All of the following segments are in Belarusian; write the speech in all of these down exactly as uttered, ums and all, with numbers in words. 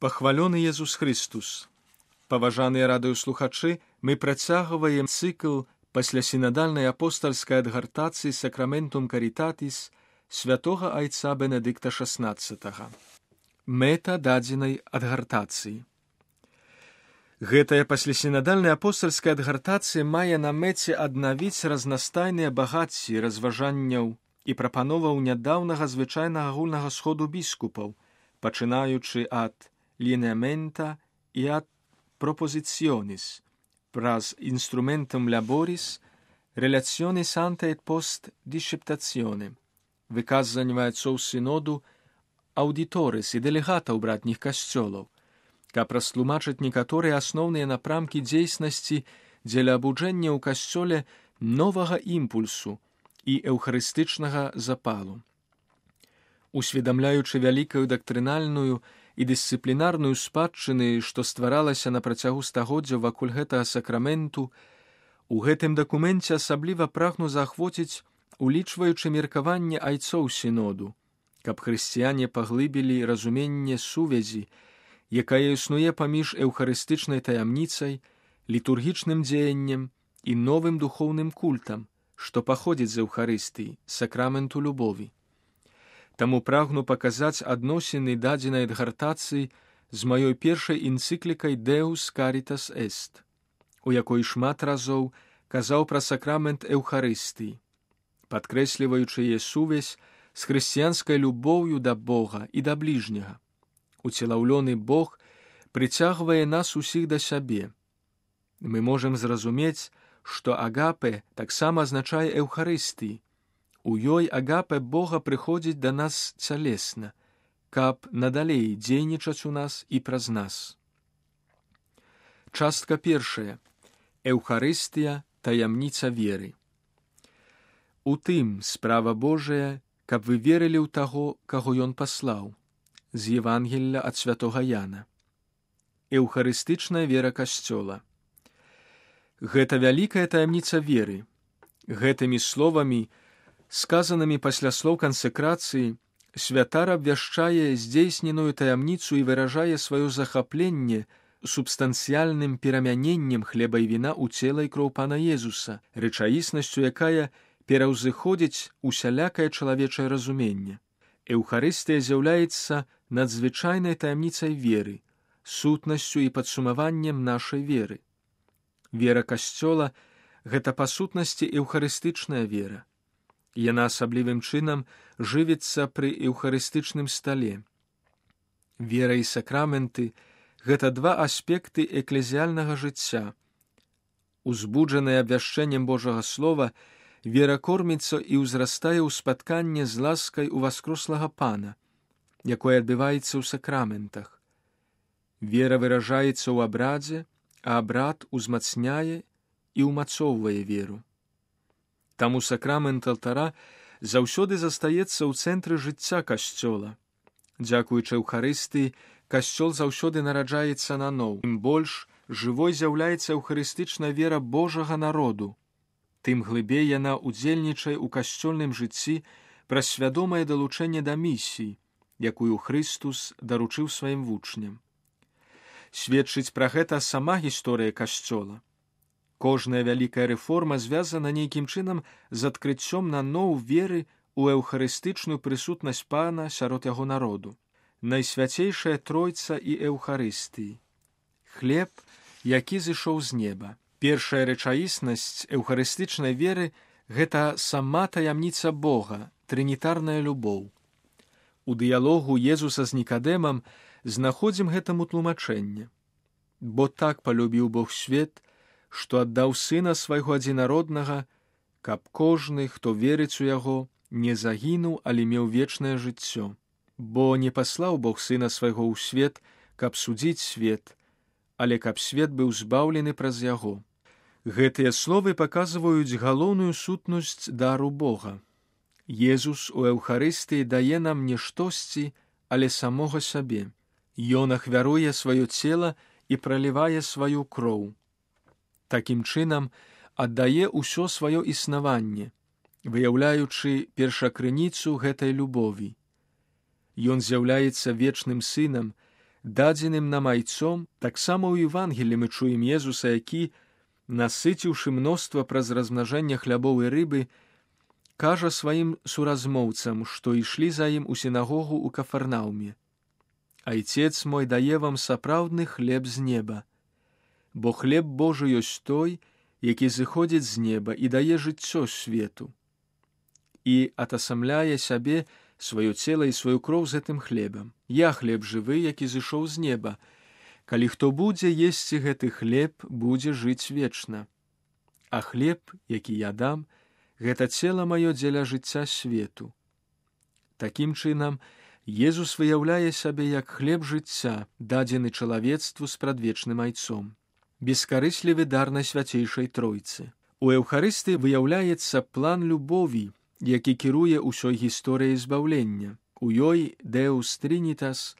Пахвалёны Езус Христус! Паважаныя радыёслухачы, мы працягваем цыкл пасля сінадальнай апостальскай адгартацыі Сакраментум Карітатіс святога айца Бенедыкта шаснаццатага. Мэта дадзенай адгартацыі. Гэтая паслясінадальная апостальская адгартацыя мае на мэце аднавіць разнастайныя багацці разважанняў і прапановаў нядаўнага звычайнага агульнага сходу біскупаў, пачынаючы ад lineamenta і ад propositionis, pras instrumentum laboris, relationis ante et post disceptatione, выказвання отцов синоду, аудиторис і дэлегатаў братніх касцёлаў, каб растлумачыць некаторыя асноўныя напрамкі дзейснасці дзеля абуджэння ў касцёле новага імпульсу і эўхарыстычнага запалу. Усведамляючы вялікую дактрынальную і дысцыплінарную спадчыны, што стваралася на працягу стагоддзяў вакол гэтага сакраменту, у гэтым дакуменце асабліва прагну заахвоціць, улічваючы меркаванне айцоў сіноду, каб хрысціяне паглыбілі разуменне сувязі, якая існуе паміж эўхарыстычнай таямніцай, літургічным дзеяннем і новым духоўным культам, што паходзіць з эўхарыстыі, сакраменту любові. Таму прагну паказаць адносіны дадзенай адгартацыі з маёй першай энцыклікай Deus Caritas Est, у якой шмат разоў казаў пра сакрамент эўхарыстыі, падкрэсліваючы яе сувязь з хрысціянскай любоўю да Бога і да бліжняга. Уцелаўлёны Бог прыцягвае нас усіх да сябе. Мы можам зразумець, што агапе таксама азначае эўхарыстыі. У ёй агапе Бога прыходзіць да нас цялесна, каб надалей дзейнічаць у нас і праз нас. Частка першая. Эўхарыстыя – таямніца веры. У тым справа Божая, каб вы верылі ў таго, каго Ён паслаў. З Евангелля ад святога Яна. Эўхарыстычная вера касцёла. Гэта вялікая таямніца веры. Гэтымі словамі, сказанымі пасля слоў кансекрацыі, святар абвяшчае здзейсненую таямніцу і выражае сваё захапленне субстанцыяльным перамяненнем хлеба і віна ў цела і кроў Пана Езуса, рэчаіснасцю, якая пераўзыходзіць усялякае чалавечае разуменне. Эўхарыстыя з'яўляецца надзвычайнай таямніцай веры, сутнасцю і падсумаваннем нашай веры. Вера касцёла – гэта па сутнасці эўхарыстычная вера. Яна асаблівым чынам жывіцца пры эўхарыстычным стале. Вера і сакраменты – гэта два аспекты эклезіяльнага жыцця. Узбуджаная абвяшчэннем Божага Слова, вера корміцца і ўзрастае ў спатканне з ласкай у васкрослага Пана, якое адбываецца ў сакраментах. Вера выражаецца ў абрадзе, а абрад узмацняе і ўмацоўвае веру. Таму сакрамент алтара заўсёды застаецца ў цэнтры жыцця касцёла. Дзякуючы эўхарыстыі, касцёл заўсёды нараджаецца наноў. Тым больш жывой з'яўляецца эўхарыстычная вера Божага народу, тым глыбей яна удзельнічае ў касцёльным жыцці праз свядомае далучэнне да місіі, якую Хрыстус даручыў сваім вучням. Сведчыць пра гэта сама гісторыя касцёла. Кожная вялікая рэформа звязана нейкім чынам з адкрыццём наноў веры ў эўхарыстычную прысутнасць Пана сярод яго народу. Найсвяцейшая тройца і эўхарыстыі. Хлеб, які зышоў з неба. Першая рэчаіснасць эўхарыстычнай веры – гэта сама таямніца Бога, трынітарная любоў. У дыялогу Езуса з Нікадэмам знаходзім гэтаму тлумачэнне. Бо так палюбіў Бог свет, што аддаў Сына свайго адзінароднага, каб кожны, хто верыць у яго, не загінуў, але меў вечнае жыццё. Бо не паслаў Бог Сына свайго ў свет, каб судзіць свет, але каб свет быў збаўлены праз яго. Гэтыя словы паказваюць галоўную сутнасць дару Бога. Езус у эўхарыстыі дае нам не штосьці, але самога сабе. Ён ахвяруе сваё цела і пралівае сваю кроў. Такім чынам аддае ўсё сваё існаванне, выяўляючы першакрыніцу гэтай любові. Ён з'яўляецца вечным сынам, дадзеным нам айцом, таксама ў Евангелі мы чуем Езуса, які, насыціўшы мноства праз размнажэнне хлябоў і рыбы, кажа сваім суразмоўцам, што ішлі за ім у сінагогу ў Кафарнаўме: «Айцец мой дае вам сапраўдны хлеб з неба, бо хлеб Божы ёсць той, які зыходзіць з неба і дае жыццё свету». І атасамляе сябе, сваё цела і сваю кроў з гэтым хлебам. «Я хлеб жывы, які зышоў з неба. Калі хто будзе есці гэты хлеб, будзе жыць вечна. А хлеб, які я дам, гэта цела маё дзеля жыцця свету». Такім чынам, Езус выяўляе сябе як хлеб жыцця, дадзены чалавецтву з прадвечным айцом. Бескарыслівы дар Найсвяцейшай Тройцы. У Еўхарыстыі выяўляецца план любові, які кіруе ўсёй гісторыяй збаўлення. У ёй Deus Trinitas,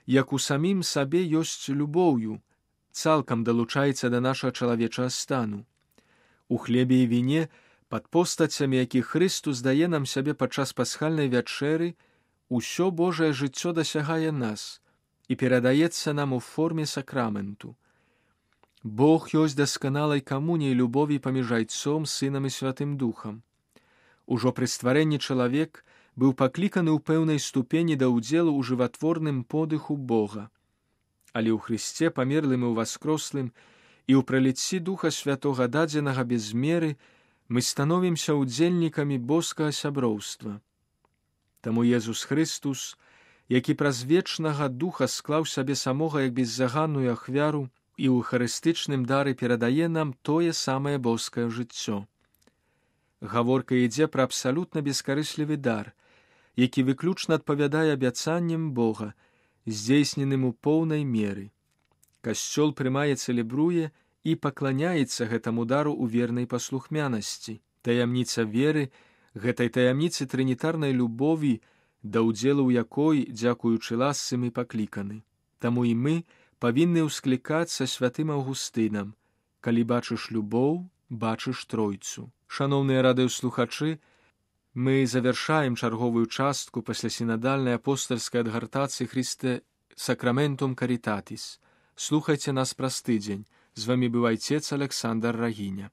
як у самім сабе ёсць любоўю, цалкам далучаецца да нашага чалавечага стану. У хлебе і віне, пад постацямі якіх Хрыстус дае нам сябе падчас пасхальнай вячэры, усё Божае жыццё дасягае нас і перадаецца нам у форме сакраменту. Бог ёсць дасканалай камуніяй любові паміж айцом, сынам і святым духам. Ужо пры стварэнні чалавек быў пакліканы ў пэўнай ступені да ўдзелу ў жыватворным подыху Бога. Але ў Хрысце, памерлым і ўваскрослым, і ў праліцці Духа Святога, дадзенага без меры, мы становімся ўдзельнікамі боскага сяброўства. Таму Езус Хрыстус, які праз вечнага Духа склаў сябе самога як беззаганную ахвяру, і ў эўхарыстычным дары перадае нам тое самае боскае жыццё. Гаворка ідзе пра абсалютна бескарыслівы дар, які выключна адпавядае абяцанням Бога, здзейсненым у поўнай меры. Касцёл прымае, цэлебруе і пакланяецца гэтаму дару ў вернай паслухмянасці. Таямніца веры, гэтай таямніцы трынітарнай любові, да ўдзелу ў якой, дзякуючы ласцы, мы пакліканы. Таму і мы павінны ўсклікацца святым Аўгустынам: «Калі бачыш любоў, бачыш Тройцу». Шаноўныя радыёслухачы, мы завяршаем чарговую частку паслясінадальнай апостальскай адгартацыі Христе Сакраментум Каритатис. Слухайце нас праз тыдзень. З вамі быў айцец Александр Рагіня.